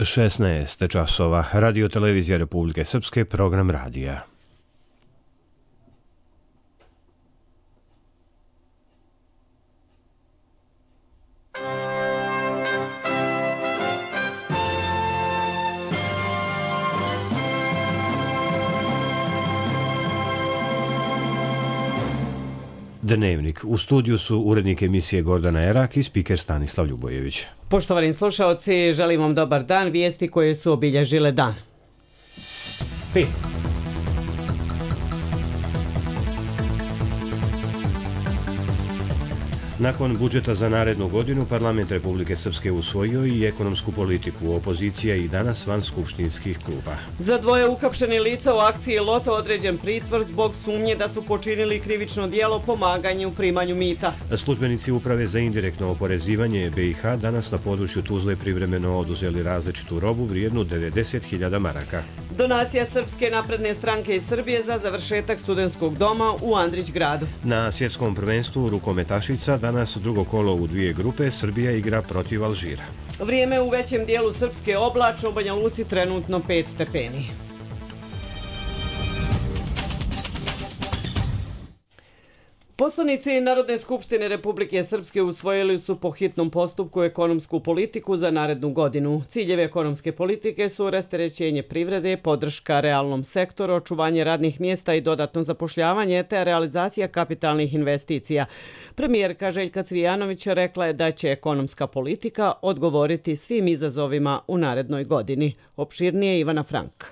16 časova. Radio Televizija Republike Srpske, program radija. Dnevnik. U studiju su urednik emisije Gordana Erak i spiker Stanislav Ljubojević. Poštovani slušaoci, želim vam dobar dan. Vijesti koje su obilježile dan. 5. Nakon budžeta za narednu godinu, Parlament Republike Srpske usvojio i ekonomsku politiku. Opozicija i danas van skupštinskih klupa. Za dvoje uhapšenih lica u akciji Loto određen pritvor zbog sumnje da su počinili krivično djelo pomaganja u primanju mita. Službenici Uprave za indirektno oporezivanje BiH danas na području Tuzle privremeno oduzeli različitu robu vrijednu 90.000 maraka. Donacija Srpske napredne stranke iz Srbije za završetak studentskog doma u Andrićgradu. Na svjetskom prvenstvu rukometašica danas drugo kolo u dvije grupe, Srbija igra protiv Alžira. Vrijeme u većem dijelu Srpske oblačno, u Banja Luci trenutno 5 stepeni. Poslanici Narodne skupštine Republike Srpske usvojili su po hitnom postupku ekonomsku politiku za narednu godinu. Ciljevi ekonomske politike su rasterećenje privrede, podrška realnom sektoru, očuvanje radnih mjesta i dodatno zapošljavanje te realizacija kapitalnih investicija. Premijerka Željka Cvijanović rekla je da će ekonomska politika odgovoriti svim izazovima u narednoj godini. Opširnije Ivana Frank.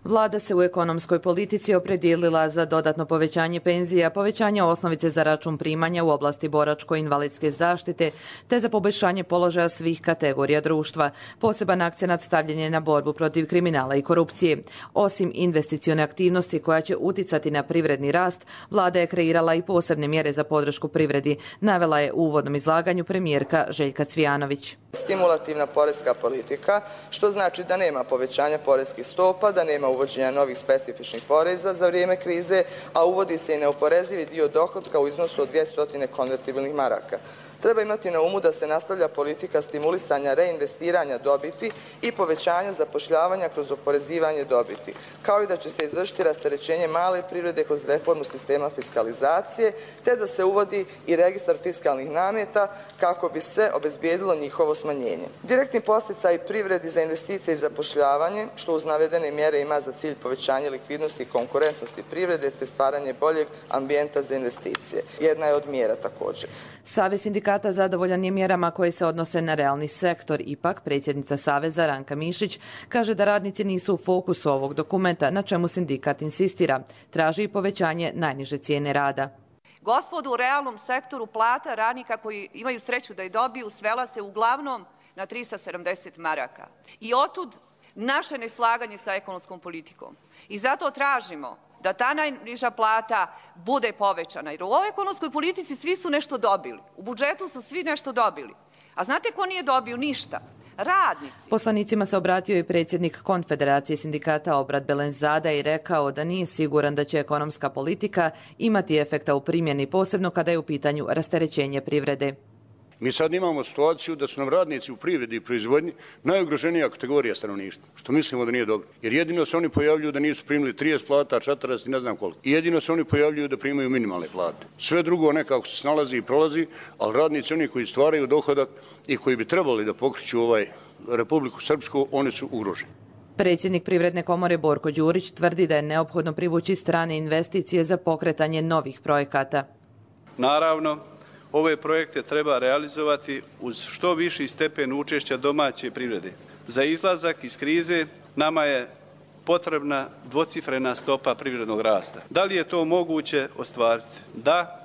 Vlada se u ekonomskoj politici opredijelila za dodatno povećanje penzija, povećanje osnovice za račun primanja u oblasti boračko-invalidske zaštite, te za poboljšanje položaja svih kategorija društva. Poseban akcenat stavljen je na borbu protiv kriminala i korupcije. Osim investicione aktivnosti koja će uticati na privredni rast, Vlada je kreirala i posebne mjere za podršku privredi, navela je u uvodnom izlaganju premijerka Željka Cvijanović. Stimulativna poreska politika, što znači da nema povećanja poreskih stopa, da nema uvođenja novih specifičnih poreza za vrijeme krize, a uvodi se i neoporezivi dio dohotka u iznosu od 200 konvertibilnih maraka. Treba imati na umu da se nastavlja politika stimulisanja reinvestiranja dobiti i povećanja zapošljavanja kroz oporezivanje dobiti, kao i da će se izvršiti rasterećenje male privrede kroz reformu sistema fiskalizacije, te da se uvodi i registar fiskalnih nameta kako bi se obezbijedilo njihovo smanjenje. Direktni podsticaj privredi za investicije i zapošljavanje, što uz navedene mjere ima za cilj povećanje likvidnosti i konkurentnosti privrede te stvaranje boljeg ambijenta za investicije. Jedna je od mjera također. Savez sindikata zadovoljan je mjerama koje se odnose na realni sektor. Ipak, predsjednica Saveza Ranka Mišić kaže da radnici nisu u fokusu ovog dokumenta, na čemu sindikat insistira. Traži i povećanje najniže cijene rada. Gospodu, u realnom sektoru plata radnika koji imaju sreću da je dobiju svela se uglavnom na 370 maraka. I otud naše neslaganje sa ekonomskom politikom. I zato tražimo da ta najniža plata bude povećana. Jer u ovoj ekonomskoj politici svi su nešto dobili. U budžetu su svi nešto dobili. A znate ko nije dobio ništa? Radnici. Poslanicima se obratio i predsjednik Konfederacije sindikata Obrat Belenzada i rekao da nije siguran da će ekonomska politika imati efekta u primjeni, posebno kada je u pitanju rasterećenje privrede. Mi sad imamo situaciju da su nam radnici u privredi i proizvodnji najugroženija kategorija stanovništva, što mislimo da nije dobro. Jer jedino se oni pojavljuju da nisu primili 30 plata, 40 i ne znam koliko. I jedino se oni pojavljuju da primaju minimalne plate. Sve drugo nekako se snalazi i prolazi, ali radnici, oni koji stvaraju dohodak i koji bi trebali da pokreću Republiku Srpsku, oni su ugroženi. Predsjednik Privredne komore Borko Đurić tvrdi da je neophodno privući strane investicije za pokretanje novih projekata. Naravno, ove projekte treba realizovati uz što viši stepen učešća domaće privrede. Za izlazak iz krize nama je potrebna dvocifrena stopa privrednog rasta. Da li je to moguće ostvariti? Da,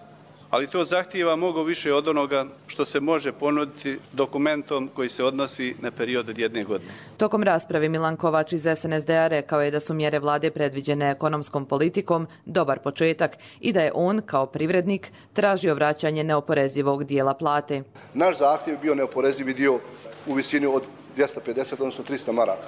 ali to zahtijeva mnogo više od onoga što se može ponuditi dokumentom koji se odnosi na period od 1 godine. Tokom rasprave Milan Kovač iz SNSD-a rekao je da su mjere vlade predviđene ekonomskom politikom dobar početak i da je on, kao privrednik, tražio vraćanje neoporezivog dijela plate. Naš zahtjev je bio neoporezivi dio u visini od 250, odnosno 300 maraka.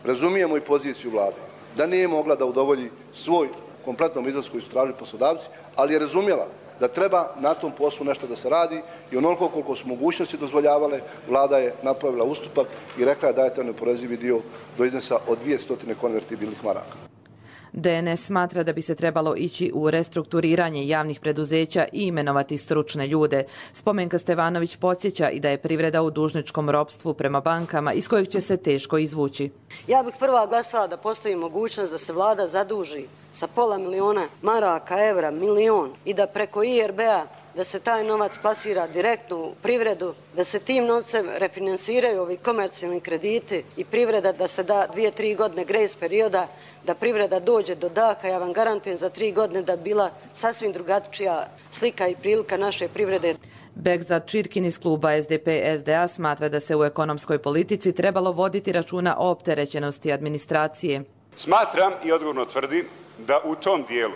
Razumijemo i poziciju vlade, da nije mogla da udovolji svoj kompletnom izlasku koji su tražili poslodavci, ali je razumjela da treba na tom poslu nešto da se radi i onoliko koliko su mogućnosti dozvoljavale, vlada je napravila ustupak i rekla je dajte neoporezivi dio do iznosa od 200 konvertibilnih maraka. DNS smatra da bi se trebalo ići u restrukturiranje javnih preduzeća i imenovati stručne ljude. Spomenka Stevanović podsjeća i da je privreda u dužničkom ropstvu prema bankama iz kojeg će se teško izvući. Ja bih prva glasala da postoji mogućnost da se vlada zaduži sa $500.000 maraka, evra, milion i da preko IRB-a da se taj novac plasira direktno u privredu, da se tim novcem refinansiraju ovi komercijalni krediti i privreda da se da 2-3 godine grace perioda, da privreda dođe do daha. Ja vam garantujem za 3 godine da bi bila sasvim drugačija slika i prilika naše privrede. Begzat Čirkin iz kluba SDP-SDA smatra da se u ekonomskoj politici trebalo voditi računa o opterećenosti administracije. Smatram i odgovorno tvrdim da u tom dijelu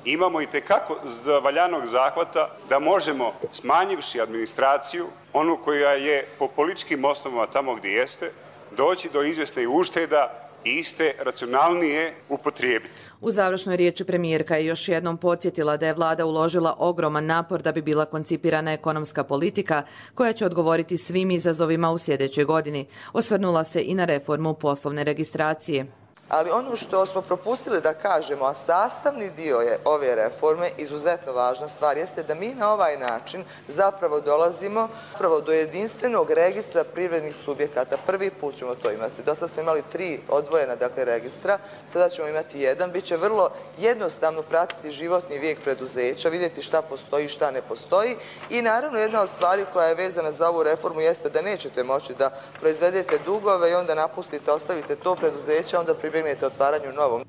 imamo i tekako valjanog zahvata da možemo, smanjivši administraciju, onu koja je po političkim osnovama tamo gdje jeste, doći do izvjesne ušteda i iste racionalnije upotrijebiti. U završnoj riječi premijerka je još jednom podsjetila da je vlada uložila ogroman napor da bi bila koncipirana ekonomska politika koja će odgovoriti svim izazovima u sljedećoj godini. Osvrnula se i na reformu poslovne registracije. Ali ono što smo propustili da kažemo, a sastavni dio je ove reforme, izuzetno važna stvar, jeste da mi na ovaj način zapravo dolazimo do jedinstvenog registra privrednih subjekata. Prvi put ćemo to imati. Do sada smo imali 3 odvojena registra, sada ćemo imati jedan. Biće vrlo jednostavno pratiti životni vijek preduzeća, vidjeti šta postoji, šta ne postoji. I naravno jedna od stvari koja je vezana za ovu reformu jeste da nećete moći da proizvedete dugove i onda napustite, ostavite to preduzeće, onda otvaranju novom.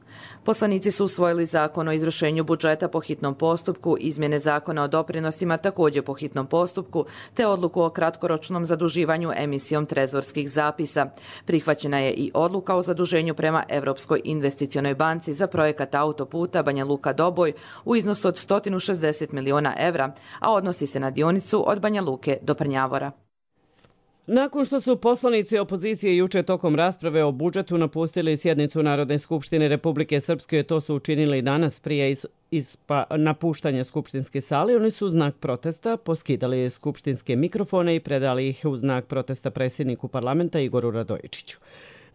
Poslanici su usvojili zakon o izvršenju budžeta po hitnom postupku, izmjene zakona o doprinosima također po hitnom postupku, te odluku o kratkoročnom zaduživanju emisijom trezorskih zapisa. Prihvaćena je i odluka o zaduženju prema Europskoj investicionoj banci za projekat autoputa Banja Luka-Doboj u iznosu od 160 miliona evra, a odnosi se na dionicu od Banja Luke do Prnjavora. Nakon što su poslanici opozicije juče tokom rasprave o budžetu napustili sjednicu Narodne skupštine Republike Srpske, to su učinili danas prije napuštanja skupštinske sale, oni su u znak protesta poskidali skupštinske mikrofone i predali ih u znak protesta predsjedniku parlamenta Igoru Radojičiću.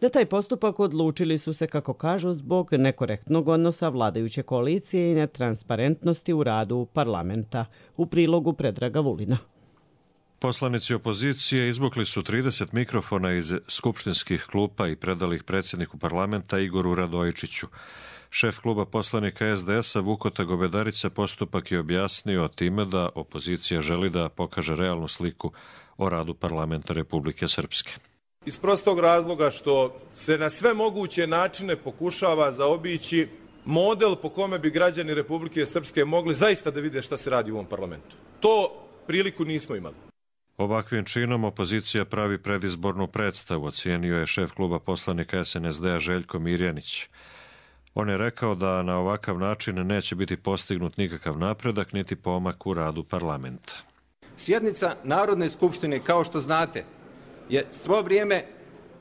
Na taj postupak odlučili su se, kako kažu, zbog nekorektnog odnosa vladajuće koalicije i netransparentnosti u radu parlamenta. U prilogu Predraga Vulina. Poslanici opozicije izvukli su 30 mikrofona iz skupštinskih klupa i predali ih predsjedniku parlamenta Igoru Radojičiću. Šef kluba poslanika SDS-a Vukota Gobedarica postupak je objasnio time da opozicija želi da pokaže realnu sliku o radu parlamenta Republike Srpske. Iz prostog razloga što se na sve moguće načine pokušava zaobići model po kome bi građani Republike Srpske mogli zaista da vide šta se radi u ovom parlamentu. To priliku nismo imali. Ovakvim činom opozicija pravi predizbornu predstavu, ocijenio je šef kluba poslanika SNSD-a Željko Mirjanić. On je rekao da na ovakav način neće biti postignut nikakav napredak niti pomak u radu parlamenta. Sjednica Narodne skupštine, kao što znate, je svo vrijeme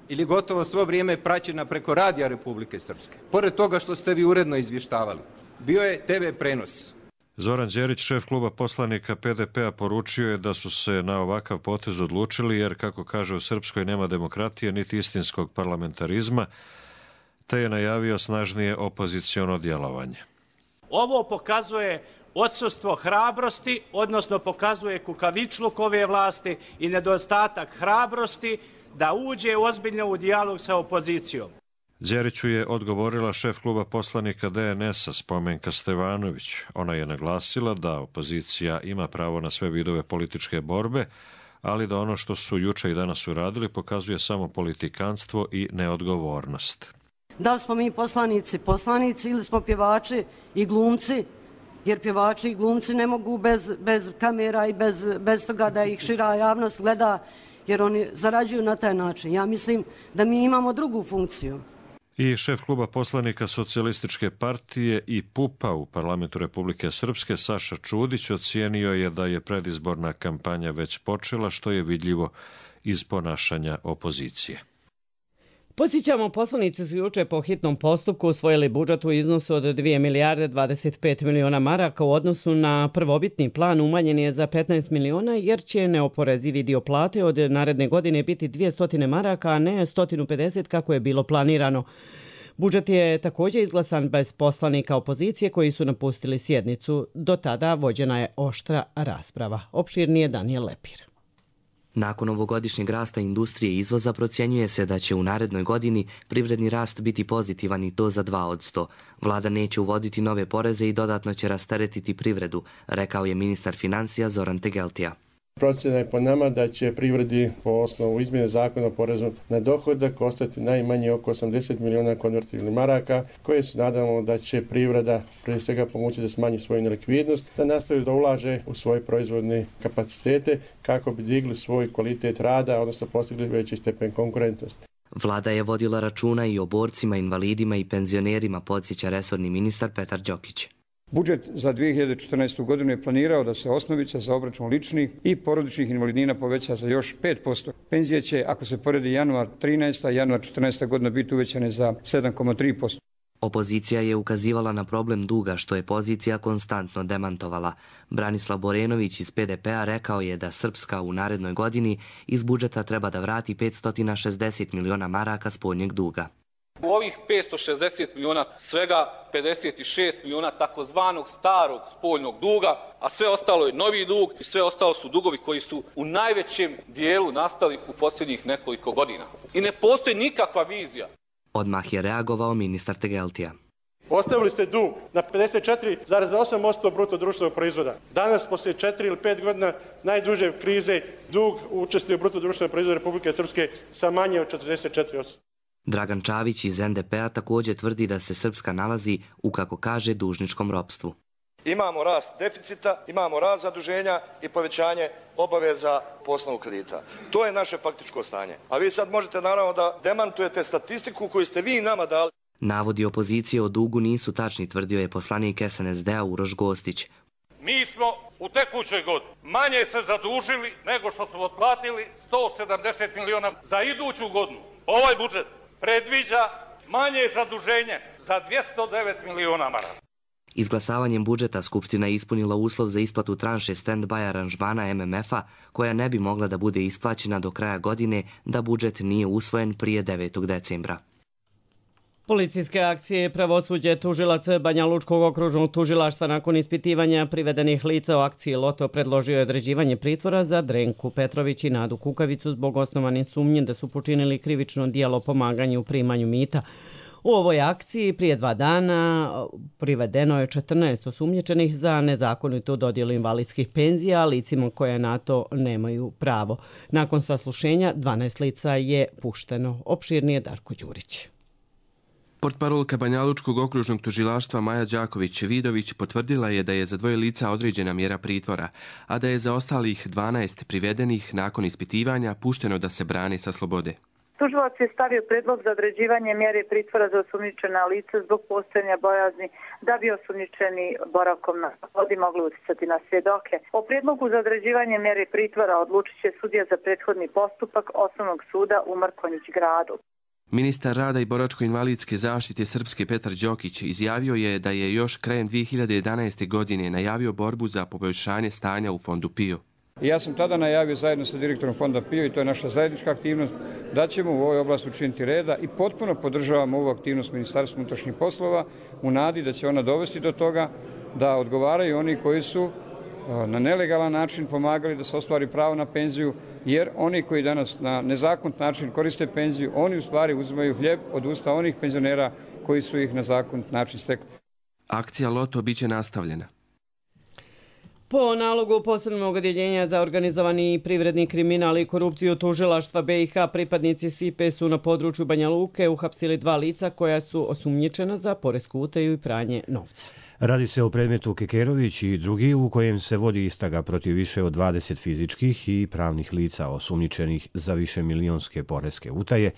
ili gotovo svo vrijeme praćena preko radija Republike Srpske. Pored toga što ste vi uredno izvještavali, bio je TV prenos. Zoran Đerić, šef kluba poslanika PDP-a, poručio je da su se na ovakav potez odlučili jer, kako kaže, u Srpskoj nema demokratije niti istinskog parlamentarizma, te je najavio snažnije opoziciono djelovanje. Ovo pokazuje odsustvo hrabrosti, odnosno pokazuje kukavičluk ove vlasti i nedostatak hrabrosti da uđe ozbiljno u dijalog sa opozicijom. Đeriću je odgovorila šef kluba poslanika DNS-a Spomenka Stevanović. Ona je naglasila da opozicija ima pravo na sve vidove političke borbe, ali da ono što su juče i danas uradili pokazuje samo politikanstvo i neodgovornost. Da li smo mi poslanici ili smo pjevači i glumci, jer pjevači i glumci ne mogu bez kamera i bez toga da ih šira javnost gleda, jer oni zarađuju na taj način. Ja mislim da mi imamo drugu funkciju. I šef kluba poslanika Socijalističke partije i PUP-a u parlamentu Republike Srpske Saša Čudić ocijenio je da je predizborna kampanja već počela, što je vidljivo iz ponašanja opozicije. Podsjećamo, poslanici su juče po hitnom postupku usvojili budžet u iznosu od 2 milijarde 25 miliona maraka. U odnosu na prvobitni plan umanjen je za 15 miliona jer će neoporezivi dio plate od naredne godine biti 200 maraka, a ne 150 kako je bilo planirano. Budžet je također izglasan bez poslanika opozicije koji su napustili sjednicu. Do tada vođena je oštra rasprava. Opširnije Daniel Lepir. Nakon ovogodišnjeg rasta industrije i izvoza procjenjuje se da će u narednoj godini privredni rast biti pozitivan i to za 2%. Vlada neće uvoditi nove poreze i dodatno će rasteretiti privredu, rekao je ministar financija Zoran Tegeltija. Procjena je po nama da će privredi po osnovu izmjene zakona o porezu na dohodak ostati najmanje oko 80 miliona konvertibilnih maraka, koje se nadamo da će privreda prije svega pomoći da smanji svoju nelikvidnost, da nastavi da ulaže u svoje proizvodne kapacitete kako bi digli svoj kvalitet rada, odnosno postigli veći stepen konkurentnosti. Vlada je vodila računa i o borcima, invalidima i penzionerima, podsjeća resorni ministar Petar Đokić. Budžet za 2014. godinu je planirao da se osnovica za obračun ličnih i porodičnih invalidnina poveća za još 5%. Penzije će, ako se poredi januar 13. i januar 14. godina, biti uvećane za 7,3%. Opozicija je ukazivala na problem duga, što je pozicija konstantno demantovala. Branislav Borenović iz PDP-a rekao je da Srpska u narednoj godini iz budžeta treba da vrati 560 miliona maraka spoljnjeg duga. U ovih 560 miliona svega 56 miliona takozvanog starog spoljnog duga, a sve ostalo je novi dug i sve ostalo su dugovi koji su u najvećem dijelu nastali u posljednjih nekoliko godina. I ne postoji nikakva vizija. Odmah je reagovao ministar Tegeltija. Ostavili ste dug na 54,8% bruto društvenog proizvoda. Danas, poslije 4 ili 5 godina najduže krize, dug učestvuje u bruto društvenog proizvoda Republike Srpske sa manje od 44%. Dragan Čavić iz NDP-a također tvrdi da se Srpska nalazi u, kako kaže, dužničkom ropstvu. Imamo rast deficita, imamo rast zaduženja i povećanje obaveza po osnovu kredita. To je naše faktičko stanje. A vi sad možete naravno da demantujete statistiku koju ste vi nama dali. Navodi opozicije o dugu nisu tačni, tvrdio je poslanik SNSD-a Uroš Gostić. Mi smo u tekućoj godini manje se zadužili nego što smo otplatili 170 miliona za iduću godinu. Ovaj budžet predviđa manje zaduženje za 209 miliona maraka. Izglasavanjem budžeta Skupština je ispunila uslov za isplatu tranše stand-by aranžmana MMF-a, koja ne bi mogla da bude isplaćena do kraja godine da budžet nije usvojen prije 9. decembra. Policijske akcije pravosuđe tužilac Banja Lučkog okružnog tužilaštva nakon ispitivanja privedenih lica o akciji Loto predložio je određivanje pritvora za Drenku Petrović i Nadu Kukavicu zbog osnovane sumnje da su počinili krivično djelo pomaganja u primanju mita. U ovoj akciji prije 2 dana privedeno je 14 osumnjičenih za nezakonitu dodjelu invalidskih penzija licima koje na to nemaju pravo. Nakon saslušenja 12 lica je pušteno. Opširnije Darko Đurić. Portparolka Banja Lučkog okružnog tužilaštva Maja Đaković-Vidović potvrdila je da je za 2 lica određena mjera pritvora, a da je za ostalih 12 privedenih nakon ispitivanja pušteno da se brane sa slobode. Tužilac je stavio predlog za određivanje mjere pritvora za osumnjičena lica zbog postojanja bojazni da bi osumnjičeni boravkom na slobodi mogli utjecati na svjedoke. O predlogu za određivanje mjere pritvora odlučit će sudija za prethodni postupak Osnovnog suda u Mrkonjić gradu. Ministar rada i boračko-invalidske zaštite Srpske Petar Đokić izjavio je da je još krajem 2011. godine najavio borbu za poboljšanje stanja u fondu PIO. Ja sam tada najavio zajedno sa direktorom fonda PIO, i to je naša zajednička aktivnost, da ćemo u ovoj oblasti učiniti reda i potpuno podržavamo ovu aktivnost Ministarstva unutrašnjih poslova u nadi da će ona dovesti do toga da odgovaraju oni koji su na nelegalan način pomagali da se ostvari pravo na penziju, jer oni koji danas na nezakonit način koriste penziju, oni u stvari uzimaju hljeb od usta onih penzionera koji su ih na zakonit način stekli. Akcija Loto biće nastavljena. Po nalogu posebnog odjeljenja za organizovani privredni kriminal i korupciju tužilaštva BiH, pripadnici SIPE su na području Banja Luke uhapsili 2 lica koja su osumnjičena za poresku utaju i pranje novca. Radi se o predmetu Kekerović i drugi u kojem se vodi istraga protiv više od 20 fizičkih i pravnih lica osumnjičenih za višemilionske poreske utaje,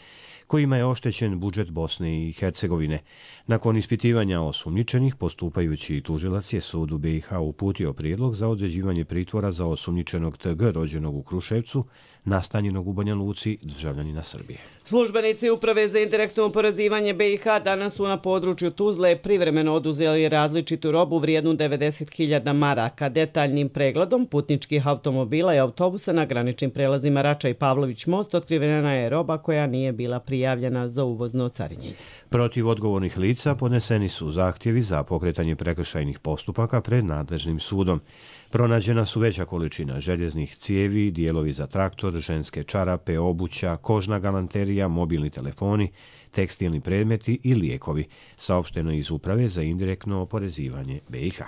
kojima je oštećen budžet Bosne i Hercegovine. Nakon ispitivanja osumnjičenih, postupajući tužilac je sudu BiH uputio prijedlog za određivanje pritvora za osumnjičenog TG rođenog u Kruševcu, nastanjenog u Banja Luci, državljanina Srbije. Službenici Uprave za indirektno oporezivanje BiH danas su na području Tuzle privremeno oduzeli različitu robu vrijednu 90.000 maraka. Detaljnim pregledom putničkih automobila i autobusa na graničnim prelazima Rača i Pavlović most otkrivena je roba koja nije bila prijavljena za uvozno carinjenje. Protiv odgovornih lica podneseni su zahtjevi za pokretanje prekršajnih postupaka pred nadležnim sudom. Pronađena su veća količina željeznih cijevi, dijelovi za traktor, ženske čarape, obuća, kožna galanterija, mobilni telefoni, tekstilni predmeti i lijekovi, saopšteno iz Uprave za indirektno oporezivanje BiH.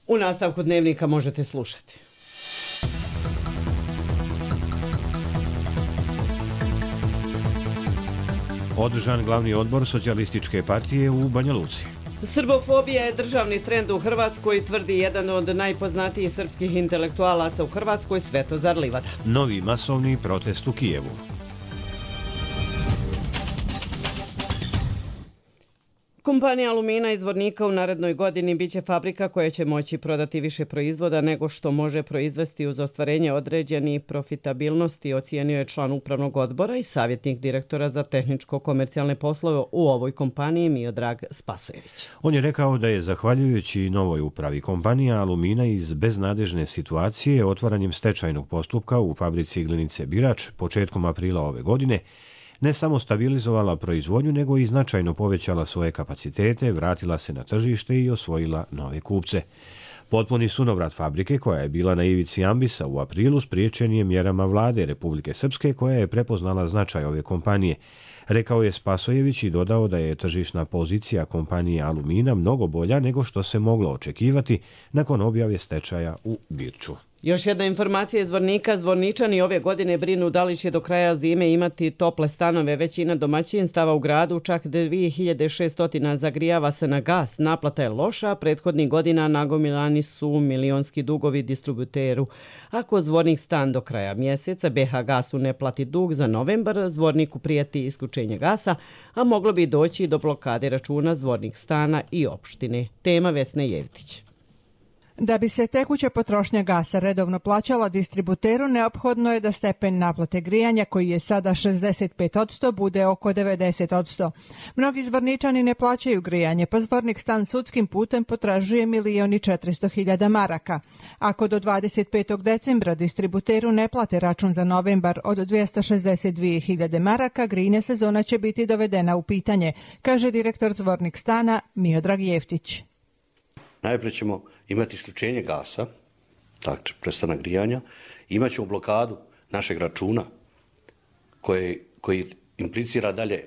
U nastavku dnevnika možete slušati. Održan glavni odbor Socijalističke partije u Banja Luci. Srbofobija je državni trend u Hrvatskoj, tvrdi jedan od najpoznatijih srpskih intelektualaca u Hrvatskoj, Svetozar Livada. Novi masovni protest u Kijevu. Kompanija Alumina iz Zvornika u narednoj godini biće fabrika koja će moći prodati više proizvoda nego što može proizvesti uz ostvarenje određenih profitabilnosti, ocijenio je član upravnog odbora i savjetnik direktora za tehničko-komercijalne poslove u ovoj kompaniji Miodrag Spasojević. On je rekao da je zahvaljujući novoj upravi kompanija Alumina iz beznadežne situacije otvaranjem stečajnog postupka u fabrici Glinice Birač početkom aprila ove godine ne samo stabilizovala proizvodnju, nego i značajno povećala svoje kapacitete, vratila se na tržište i osvojila nove kupce. Potpuni sunovrat fabrike, koja je bila na ivici ambisa u aprilu, spriječen je mjerama vlade Republike Srpske, koja je prepoznala značaj ove kompanije. Rekao je Spasojević i dodao da je tržišna pozicija kompanije Alumina mnogo bolja nego što se moglo očekivati nakon objave stečaja u Birču. Još jedna informacija iz Zvornika. Zvorničani ove godine brinu da li će do kraja zime imati tople stanove. Većina domaćinstava u gradu, čak 2600 zagrijava se na gas. Naplata je loša, prethodnih godina nagomilani su milionski dugovi distributeru. Ako Zvornik stan do kraja mjeseca BH Gasu ne plati dug za novembar, Zvorniku prijeti isključenje gasa, a moglo bi doći do blokade računa Zvornik stana i opštine. Tema Vesne Jevtić. Da bi se tekuća potrošnja gasa redovno plaćala distributeru, neophodno je da stepen naplate grijanja, koji je sada 65%, bude oko 90%. Mnogi Zvorničani ne plaćaju grijanje, pa Zvornik stan sudskim putem potražuje 1.400.000 maraka. Ako do 25. decembra distributeru ne plate račun za novembar od 262.000 maraka, grijna sezona će biti dovedena u pitanje, kaže direktor Zvornik stana Miodrag Jeftić. Najprije ćemo imati isključenje gasa, znači prestanak grijanja, imat ćemo blokadu našeg računa koji implicira dalje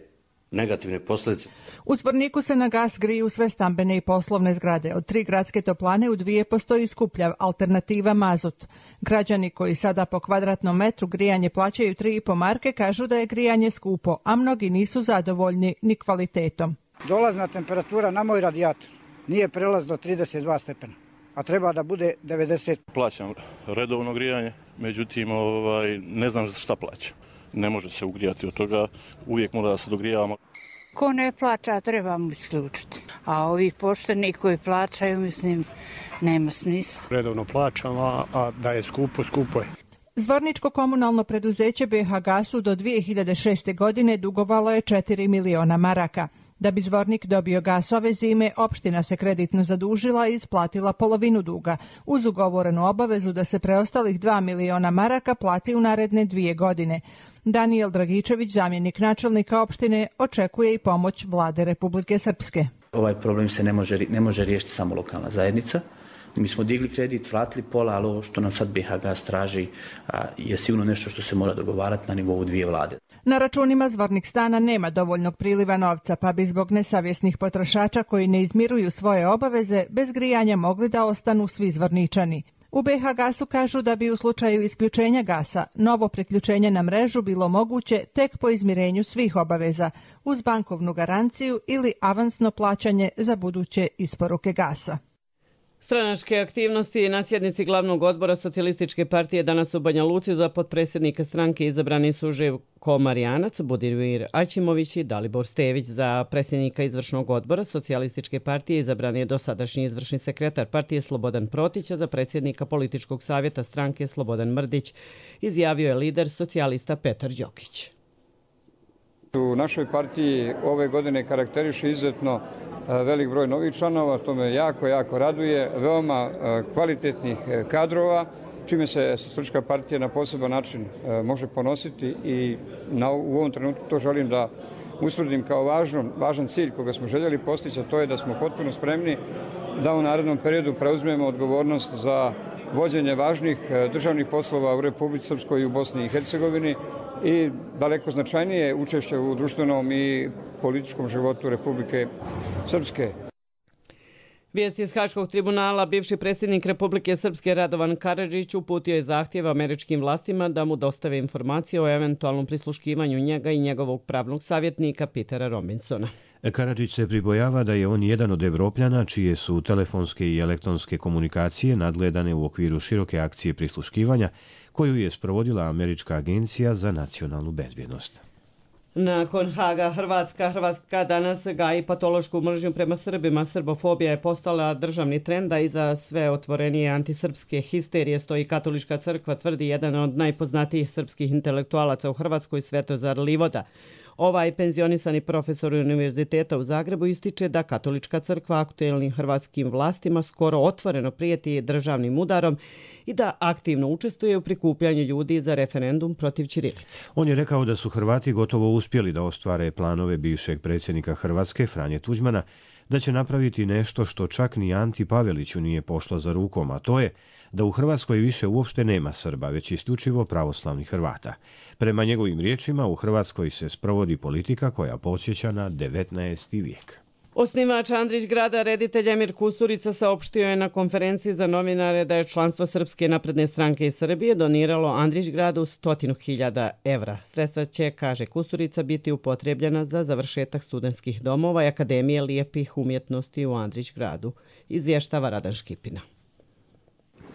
negativne posljedice. U Zvorniku se na gas griju sve stambene i poslovne zgrade. Od 3 gradske toplane u 2 postoji skuplja alternativa mazut. Građani koji sada po kvadratnom metru grijanje plaćaju 3,5 marke kažu da je grijanje skupo, a mnogi nisu zadovoljni ni kvalitetom. Dolazna temperatura na moj radijator nije prelaz do 32 stepena, a treba da bude 90. Plaćam redovno grijanje, međutim ne znam šta plaćam. Ne može se ugrijati od toga, uvijek mora da se dogrijavamo. Ko ne plaća, treba mu isključiti. A ovi pošteni koji plaćaju, mislim, nema smisla. Redovno plaćam, a da je skupo, skupo je. Zvorničko komunalno preduzeće BH Gasu do 2006. godine dugovalo je 4 miliona maraka. Da bi Zvornik dobio gas ove zime, opština se kreditno zadužila i isplatila polovinu duga, uz ugovorenu obavezu da se preostalih 2 miliona maraka plati u naredne 2 godine. Danijel Dragičević, zamjenik načelnika opštine, očekuje i pomoć vlade Republike Srpske. Ovaj problem se ne može riješiti samo lokalna zajednica. Mi smo digli kredit, vratili pola, ali ovo što nam sad BH Gas traži je sigurno nešto što se mora dogovarati na nivou 2 vlade. Na računima Zvornik stana nema dovoljnog priliva novca, pa bi zbog nesavjesnih potrošača koji ne izmiruju svoje obaveze bez grijanja mogli da ostanu svi Zvorničani. U BH Gasu kažu da bi u slučaju isključenja gasa novo priključenje na mrežu bilo moguće tek po izmirenju svih obaveza, uz bankovnu garanciju ili avansno plaćanje za buduće isporuke gasa. Stranačke aktivnosti na sjednici glavnog odbora Socijalističke partije danas u Banja Luci za potpredsjednika stranke izabrani su Živko Marijanac, Budimir Aćimović i Dalibor Stević. Za predsjednika izvršnog odbora Socijalističke partije izabran je dosadašnji izvršni sekretar partije Slobodan Protić, a za predsjednika političkog savjeta stranke Slobodan Mrdić izjavio je lider socijalista Petar Đokić. U našoj partiji ove godine karakteriše izuzetno velik broj novih članova, to me jako raduje, veoma kvalitetnih kadrova, čime se Socijalistička partija na poseban način može ponositi i u ovom trenutku to želim da usvrdim kao važan cilj koga smo željeli postići, a to je da smo potpuno spremni da u narednom periodu preuzmemo odgovornost za vođenje važnih državnih poslova u Republici Srpskoj i u Bosni i Hercegovini i daleko značajnije učešće u društvenom i političkom životu Republike Srpske. Vijest iz Haškog tribunala, bivši predsjednik Republike Srpske Radovan Karadžić uputio je zahtjev američkim vlastima da mu dostave informacije o eventualnom prisluškivanju njega i njegovog pravnog savjetnika Petera Robinsona. Karadžić se pribojava da je on jedan od Evropljana čije su telefonske i elektronske komunikacije nadgledane u okviru široke akcije prisluškivanja koju je sprovodila Američka agencija za nacionalnu bezbjednost. Nakon Haga, Hrvatska danas gaji patološku mržnju prema Srbima. Srbofobija je postala državni trend, a iza sve otvorenije antisrpske histerije stoji Katolička crkva, tvrdi jedan od najpoznatijih srpskih intelektualaca u Hrvatskoj, Svetozar Livoda. Ovaj penzionisani profesor Univerziteta u Zagrebu ističe da Katolička crkva aktuelnim hrvatskim vlastima skoro otvoreno prijeti državnim udarom i da aktivno učestvuje u prikupljanju ljudi za referendum protiv ćirilice. On je rekao da su Hrvati gotovo uspjeli da ostvare planove bivšeg predsjednika Hrvatske, Franje Tuđmana, da će napraviti nešto što čak ni Anti Paveliću nije pošlo za rukom, a to je da u Hrvatskoj više uopšte nema Srba, već isključivo pravoslavnih Hrvata. Prema njegovim riječima, u Hrvatskoj se sprovodi politika koja podsjeća na 19. vijek. Osnivač Andrić grada, reditelj Emir Kusturica, saopštio je na konferenciji za novinare da je članstvo Srpske napredne stranke iz Srbije doniralo Andrić gradu 100.000 evra. Sredstva će, kaže Kusturica, biti upotrebljena za završetak studentskih domova i Akademije lijepih umjetnosti u Andrić gradu, izvještava Radan Škipina.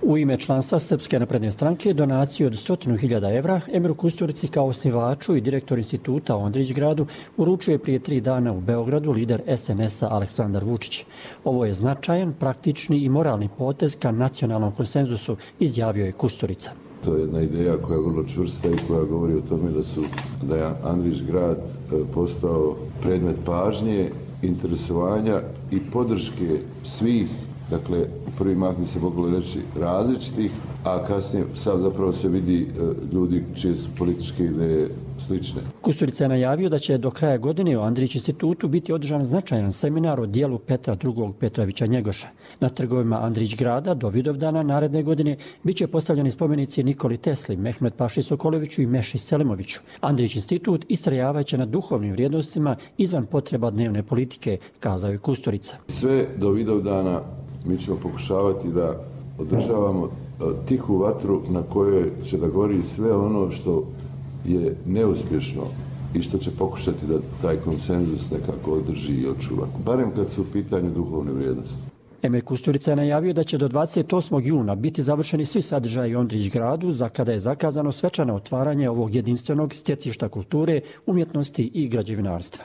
U ime članstva Srpske napredne stranke donaciju od 100.000 evra Emiru Kusturici kao osnivaču i direktor instituta u Andrić gradu uručuje prije 3 dana u Beogradu lider SNS-a Aleksandar Vučić. Ovo je značajan, praktični i moralni potez ka nacionalnom konsenzusu, izjavio je Kusturica. To je jedna ideja koja je vrlo čvrsta i koja govori o tome da je Andrić grad postao predmet pažnje, interesovanja i podrške svih. Dakle, u prvi mah bi se moglo reći različitih, a kasnije sad zapravo se vidi ljudi čije su političke ideje slične. Kusturica je najavio da će do kraja godine u Andrić institutu biti održan značajan seminar o dijelu Petra II. Petrovića Njegoša. Na trgovima Andrić grada do Vidovdana naredne godine biće postavljeni spomenici Nikoli Tesli, Mehmet Paši Sokoloviću i Meši Selimoviću. Andrić institut istrajavaće na duhovnim vrijednostima izvan potreba dnevne politike, kazao je Kusturica. Sve do Vidovdana mi ćemo pokušavati da održavamo tihu vatru na kojoj će da gori sve ono što je neuspješno i što će pokušati da taj konsenzus nekako održi i očuva, barem kad su u pitanju duhovne vrijednosti. Emir Kusturica je najavio da će do 28. juna biti završeni svi sadržaji u Andrić gradu, za kada je zakazano svečano otvaranje ovog jedinstvenog stjecišta kulture, umjetnosti i građevinarstva.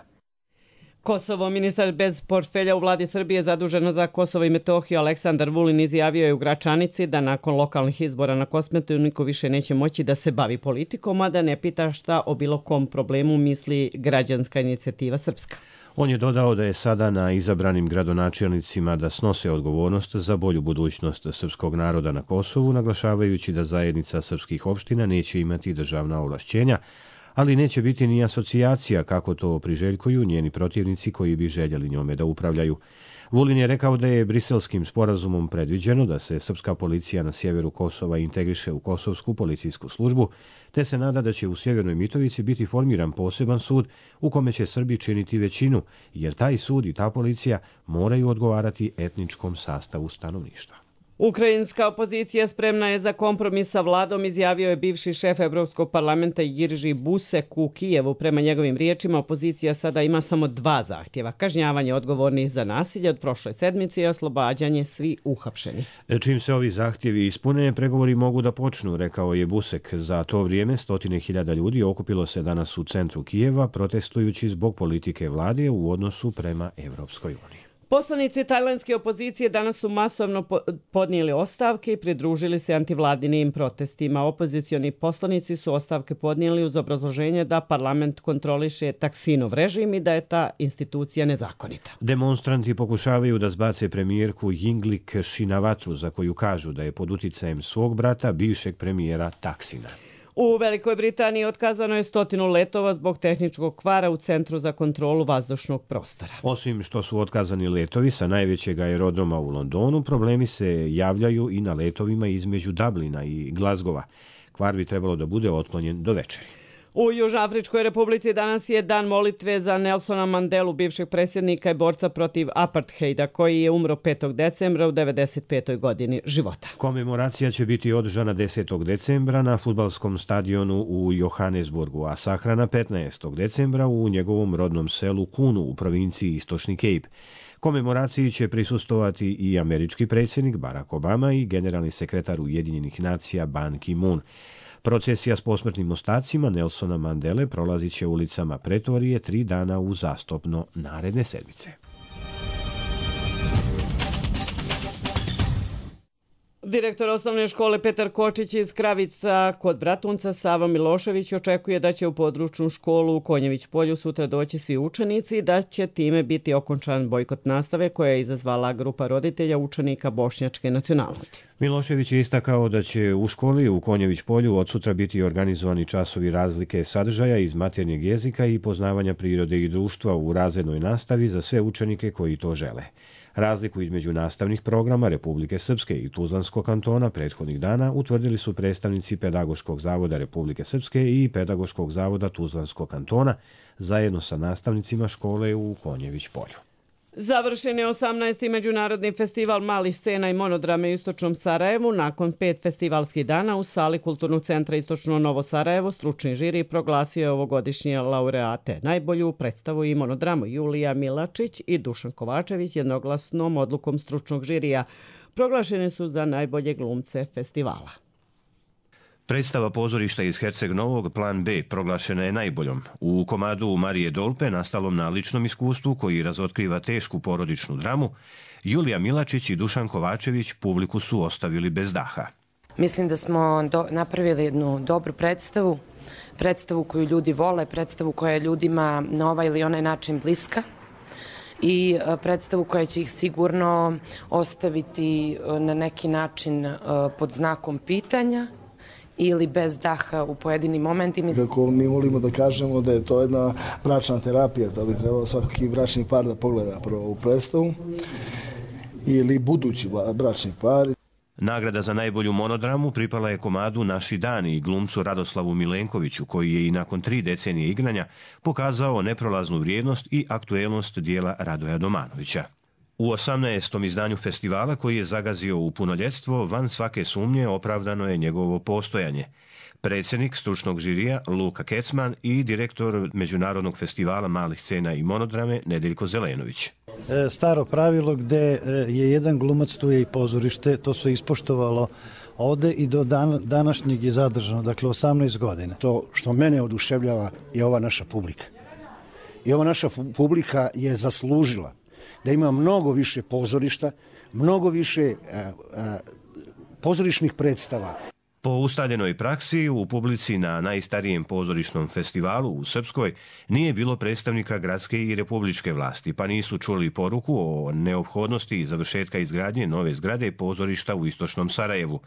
Kosovo, ministar bez portfelja u vladi Srbije zaduženo za Kosovo i Metohiju Aleksandar Vulin izjavio je u Gračanici da nakon lokalnih izbora na Kosmetu niko više neće moći da se bavi politikom, a da ne pita šta o bilo kom problemu misli građanska inicijativa Srpska. On je dodao da je sada na izabranim gradonačelnicima da snose odgovornost za bolju budućnost srpskog naroda na Kosovu, naglašavajući da zajednica srpskih opština neće imati državna ovlašćenja, ali neće biti ni asocijacija kako to priželjkuju njeni protivnici koji bi željeli njome da upravljaju. Vulin je rekao da je Briselskim sporazumom predviđeno da se srpska policija na sjeveru Kosova integriše u Kosovsku policijsku službu, te se nada da će u Sjevernoj Mitrovici biti formiran poseban sud u kome će Srbi činiti većinu, jer taj sud i ta policija moraju odgovarati etničkom sastavu stanovništva. Ukrajinska opozicija spremna je za kompromis sa vladom, izjavio je bivši šef Evropskog parlamenta Jirži Busek u Kijevu. Prema njegovim riječima, opozicija sada ima samo 2 zahtjeva. Kažnjavanje odgovornih za nasilje od prošle sedmice i oslobađanje svi uhapšeni. Čim se ovi zahtjevi ispune, pregovori mogu da počnu, rekao je Busek. Za to vrijeme 100.000 ljudi okupilo se danas u centru Kijeva, protestujući zbog politike vlade u odnosu prema Evropskoj uniji. Poslanici tajlandske opozicije danas su masovno podnijeli ostavke i pridružili se antivladinim protestima. Opozicioni poslanici su ostavke podnijeli uz obrazloženje da parlament kontroliše Taksinov režim i da je ta institucija nezakonita. Demonstranti pokušavaju da zbace premijerku Yingluck Shinawatru, za koju kažu da je pod uticajem svog brata, bivšeg premijera Taksina. U Velikoj Britaniji otkazano je 100 letova zbog tehničkog kvara u Centru za kontrolu vazdušnog prostora. Osim što su otkazani letovi sa najvećeg aerodroma u Londonu, problemi se javljaju i na letovima između Dublina i Glasgowa. Kvar bi trebalo da bude otklonjen do večeri. U Južnoafričkoj republici danas je dan molitve za Nelsona Mandelu, bivšeg predsjednika i borca protiv apartheida, koji je umro 5. decembra u 95. godini života. Komemoracija će biti održana 10. decembra na fudbalskom stadionu u Johannesburgu, a sahrana 15. decembra u njegovom rodnom selu Kunu u provinciji Istočni Cape. Komemoraciji će prisustovati i američki predsjednik Barack Obama i generalni sekretar Ujedinjenih nacija Ban Ki-moon. Procesija s posmrtnim ostacima Nelsona Mandele prolazit će ulicama Pretorije 3 dana uzastopno naredne sedmice. Direktor osnovne škole Petar Kočić iz Kravica kod Bratunca Savo Milošević očekuje da će u područnu školu u Konjević polju sutra doći svi učenici i da će time biti okončan bojkot nastave koja je izazvala grupa roditelja učenika bošnjačke nacionalnosti. Milošević je istakao da će u školi u Konjević polju od sutra biti organizovani časovi razlike sadržaja iz maternjeg jezika i poznavanja prirode i društva u razrednoj nastavi za sve učenike koji to žele. Razliku između nastavnih programa Republike Srpske i Tuzlanskog kantona prethodnih dana utvrdili su predstavnici Pedagoškog zavoda Republike Srpske i Pedagoškog zavoda Tuzlanskog kantona zajedno sa nastavnicima škole u Konjević polju. Završen je 18. međunarodni festival malih scena i monodrame u Istočnom Sarajevu. Nakon 5 festivalskih dana u sali Kulturnog centra Istočno Novo Sarajevo stručni žiri proglasio je ovogodišnje laureate. Najbolju predstavu i monodramu Julija Milačić i Dušan Kovačević jednoglasnom odlukom stručnog žirija proglašeni su za najbolje glumce festivala. Predstava pozorišta iz Herceg Novog Plan B proglašena je najboljom. U komadu Marije Dolpe, nastalom na ličnom iskustvu koji razotkriva tešku porodičnu dramu, Julija Milačić i Dušan Kovačević publiku su ostavili bez daha. Mislim da smo napravili jednu dobru predstavu koju ljudi vole, predstavu koja je ljudima na ovaj ili onaj način bliska i predstavu koja će ih sigurno ostaviti na neki način pod znakom pitanja ili bez daha u pojedinim momentima. Kako mi volimo da kažemo da je to jedna bračna terapija, to bi trebalo svaki bračni par da pogleda prvo u predstavu ili budući bračni par. Nagrada za najbolju monodramu pripala je komadu Naši dani i glumcu Radoslavu Milenkoviću, koji je i nakon 3 decenije igranja pokazao neprolaznu vrijednost i aktuelnost dijela Radoja Domanovića. U 18. izdanju festivala, koji je zagazio u punoljetstvo, van svake sumnje opravdano je njegovo postojanje. Predsjednik stručnog žirija Luka Kecman i direktor Međunarodnog festivala malih scena i monodrame Nedeljko Zelenović. Staro pravilo gde je jedan glumac, tu je i pozorište, to se ispoštovalo ovde i do današnjeg je zadržano, dakle 18 godina. To što mene oduševljava je ova naša publika. I ova naša publika je zaslužila da ima mnogo više pozorišta, mnogo više pozorišnih predstava. Po ustaljenoj praksi, u publici na najstarijem pozorišnom festivalu u Srpskoj nije bilo predstavnika gradske i republičke vlasti, pa nisu čuli poruku o neophodnosti završetka izgradnje nove zgrade pozorišta u Istočnom Sarajevu.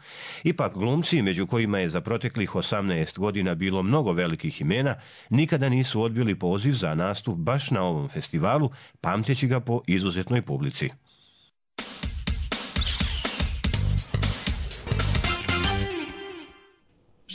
Ipak glumci, među kojima je za proteklih 18 godina bilo mnogo velikih imena, nikada nisu odbili poziv za nastup baš na ovom festivalu, pamteći ga po izuzetnoj publici.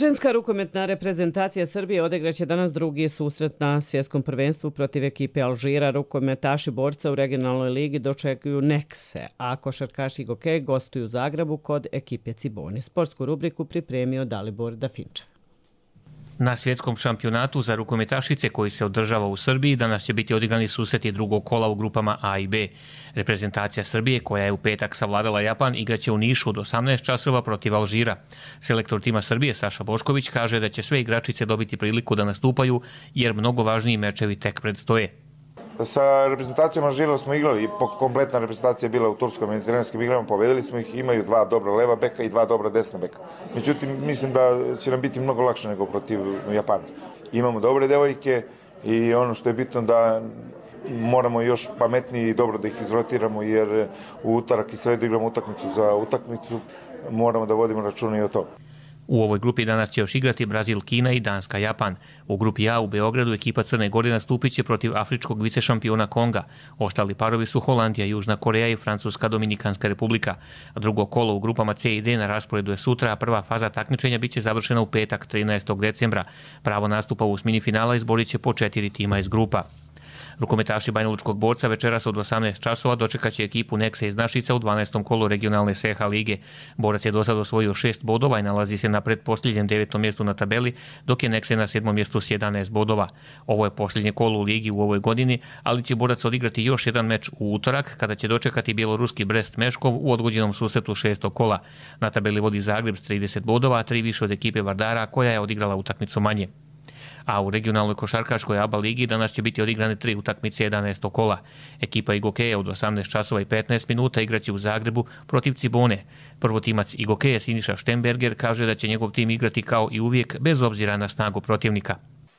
Ženska rukometna reprezentacija Srbije odigraće danas drugi susret na svjetskom prvenstvu protiv ekipe Alžira. Rukometaši borca u regionalnoj ligi dočekuju Nekse, a košarkaši Goke gostuju u Zagrebu kod ekipe Cibone. Sportsku rubriku pripremio Dalibor Dafinčev. Na svjetskom šampionatu za rukometašice koji se održava u Srbiji danas će biti odigrani susreti drugog kola u grupama A i B. Reprezentacija Srbije, koja je u petak savladala Japan, igraće u Nišu od 18 časova protiv Alžira. Selektor tima Srbije Saša Bošković kaže da će sve igračice dobiti priliku da nastupaju jer mnogo važniji mečevi tek predstoje. Sa reprezentacijom Alžira smo igrali i kompletna reprezentacija je bila u turskom mediteranskim igrama, pobedili smo ih, imaju 2 dobra leva beka i 2 dobra desna beka. Međutim, mislim da će nam biti mnogo lakše nego protiv Japana. Imamo dobre devojke i ono što je bitno da moramo još pametnije i dobro da ih izrotiramo jer u utorak i sredu igramo utakmicu za utakmicu, moramo da vodimo računa i o tome. U ovoj grupi danas će još igrati Brazil, Kina i Danska, Japan. U grupi A u Beogradu ekipa Crne Gore nastupit će protiv afričkog vicešampiona Konga. Ostali parovi su Holandija, Južna Koreja i Francuska Dominikanska republika. Drugo kolo u grupama C i D na rasporedu je sutra, a prva faza takmičenja biće završena u petak 13. decembra. Pravo nastupa u osmini finala izborit će po 4 tima iz grupa. Rukometaši Banjalučkog borca večeras od 18 časova dočekaće ekipu Nekse iz Našica u 12. kolu regionalne SH lige. Borac je do sada osvojio 6 bodova i nalazi se na pretposljednjem 9. mjestu na tabeli, dok je Nekse na 7. mjestu s 11 bodova. Ovo je posljednje kolo u ligi u ovoj godini, ali će Borac odigrati još jedan meč u utorak, kada će dočekati bjeloruski Brest Meškov u odgođenom susretu 6. kola. Na tabeli vodi Zagreb s 30 bodova, a 3 više od ekipe Vardara, koja je odigrala utakmicu manje. A u regionalnoj košarkaškoj ABA ligi danas će biti odigrane 3 utakmice 11. kola. Ekipa Igokeja od 18 časova i 15 minuta igraće u Zagrebu protiv Cibone. Prvotimac Igokeja Siniša Štemberger kaže da će njegov tim igrati kao i uvijek bez obzira na snagu protivnika.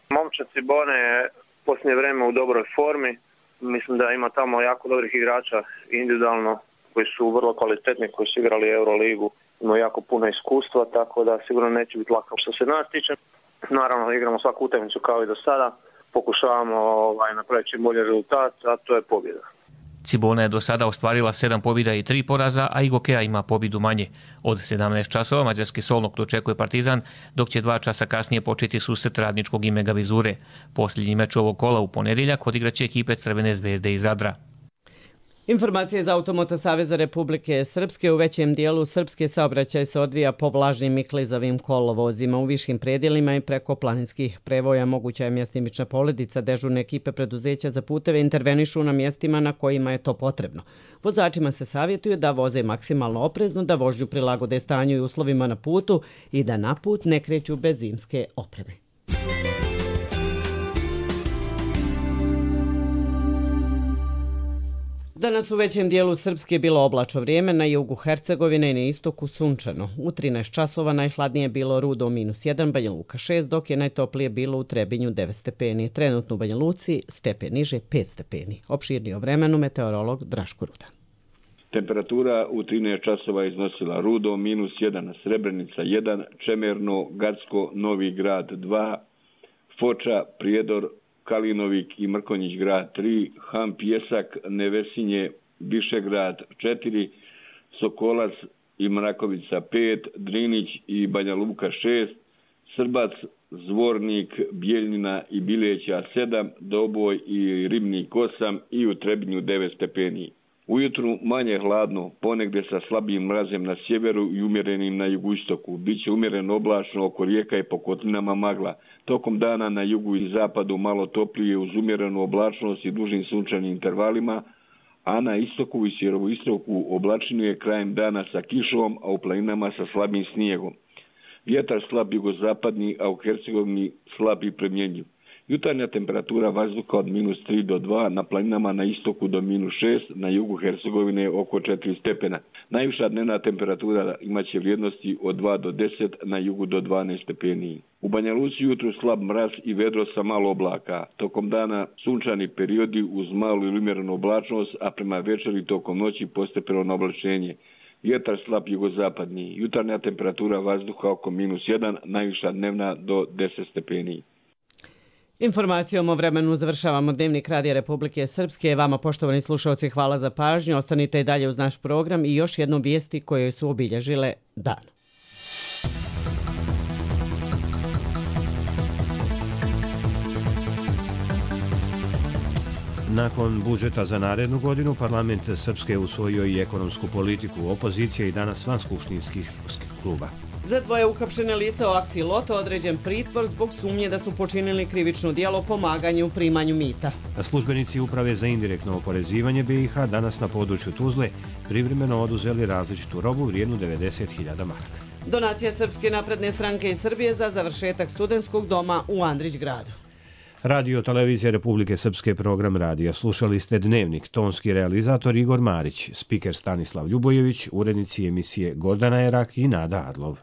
Momčad Cibone je posljednje vrijeme u dobroj formi. Mislim da ima tamo jako dobrih igrača individualno koji su vrlo kvalitetni, koji su igrali Euroligu. Imaju jako puno iskustva, tako da sigurno neće biti lako. Što se nas tiče, naravno igramo svaku utakmicu kao i do sada, pokušavamo napraviti čim bolji rezultat, a to je pobjeda. Cibona je do sada ostvarila 7 pobjeda i 3 poraza, a Igokeja ima pobjedu manje. Od 17 časova mađarski Solnog dočekuje Partizan, dok će 2 časa kasnije početi susret Radničkog i Megavizure. Posljednji meč ovog kola u ponedjeljak odigraće ekipe Crvene zvezde iz Zadra. Informacije iz Automoto Saveza Republike Srpske. U većem dijelu Srpske saobraćaj se odvija po vlažnim i klizavim kolovozima. U višim predjelima i preko planinskih prevoja moguća je mjestimična poledica. Dežurne ekipe preduzeća za puteve intervenišu na mjestima na kojima je to potrebno. Vozačima se savjetuje da voze maksimalno oprezno, da vožnju prilagode stanju i uslovima na putu i da na put ne kreću bez zimske opreme. Danas u većem dijelu Srpske je bilo oblačno vrijeme, na jugu Hercegovine i na istoku sunčano. U 13 časova najhladnije je bilo Rudo -1, Banja Luka 6, dok je najtoplije bilo u Trebinju 9 stepeni. Trenutno u Banja Luci stepen niže 5 stepeni. Opširnije o vremenu meteorolog Draško Rudan. Temperatura u 13 časova iznosila Rudo -1, Srebrenica 1, Čemerno, Gacko, Novi Grad 2, Foča, Prijedor, Kalinovik i Mrkonjić grad 3, Han Pjesak, Nevesinje, Višegrad 4, Sokolac i Mrakovica 5, Drinić i Banja Luka 6, Srbac, Zvornik, Bijeljina i Bileća 7, Doboj i Ribnik 8 i u Trebinju 9 stepeni. Ujutru manje hladno, ponegdje sa slabijim mrazem na sjeveru i umjerenim na jugoistoku. Biće umjereno oblačno oko rijeka i po kotlinama magla. Tokom dana na jugu i zapadu malo toplije uz umjerenu oblačnost i dužim sunčanim intervalima, a na istoku i sjeveroistoku oblačinu je krajem dana sa kišom, a u planinama sa slabim snijegom. Vjetar slab jugozapadni, a u Hercegovini slab i premjenjiv. Jutarnja temperatura vazduha od -3 do 2, na planinama na istoku do -6, na jugu Hercegovine oko 4 stepena. Najviša dnevna temperatura imaće vrijednosti od 2 do 10, na jugu do 12 stepeni. U Banja Luci jutru slab mraz i vedro sa malo oblaka. Tokom dana sunčani periodi uz malu ili umjerenu oblačnost, a prema večeri tokom noći postepeno oblačenje. Vjetar slab jugozapadni. Jutarnja temperatura vazduha oko -1, najviša dnevna do 10 stepeni. Informacijom o vremenu završavamo Dnevnik Radija Republike Srpske. Vama, poštovani slušalci, hvala za pažnju. Ostanite i dalje uz naš program i još jednom vijesti koje su obilježile dan. Nakon budžeta za narednu godinu, parlament Srpske usvojio i ekonomsku politiku. Opozicija i danas van skupštinskih kluba. Za dvoje uhapšene lica o akciji Loto određen pritvor zbog sumnje da su počinili krivično djelo pomaganje u primanju mita. Službenici Uprave za indirektno oporezivanje BiH danas na području Tuzle privremeno oduzeli različitu robu vrijednu 90.000 maraka. Donacija Srpske napredne stranke iz Srbije za završetak studentskog doma u Andrićgradu. Radio Televizija Republike Srpske, program radija. Slušali ste Dnevnik, tonski realizator Igor Marić, spiker Stanislav Ljubojević, urednici emisije Gordana Erak i Nada Adlov.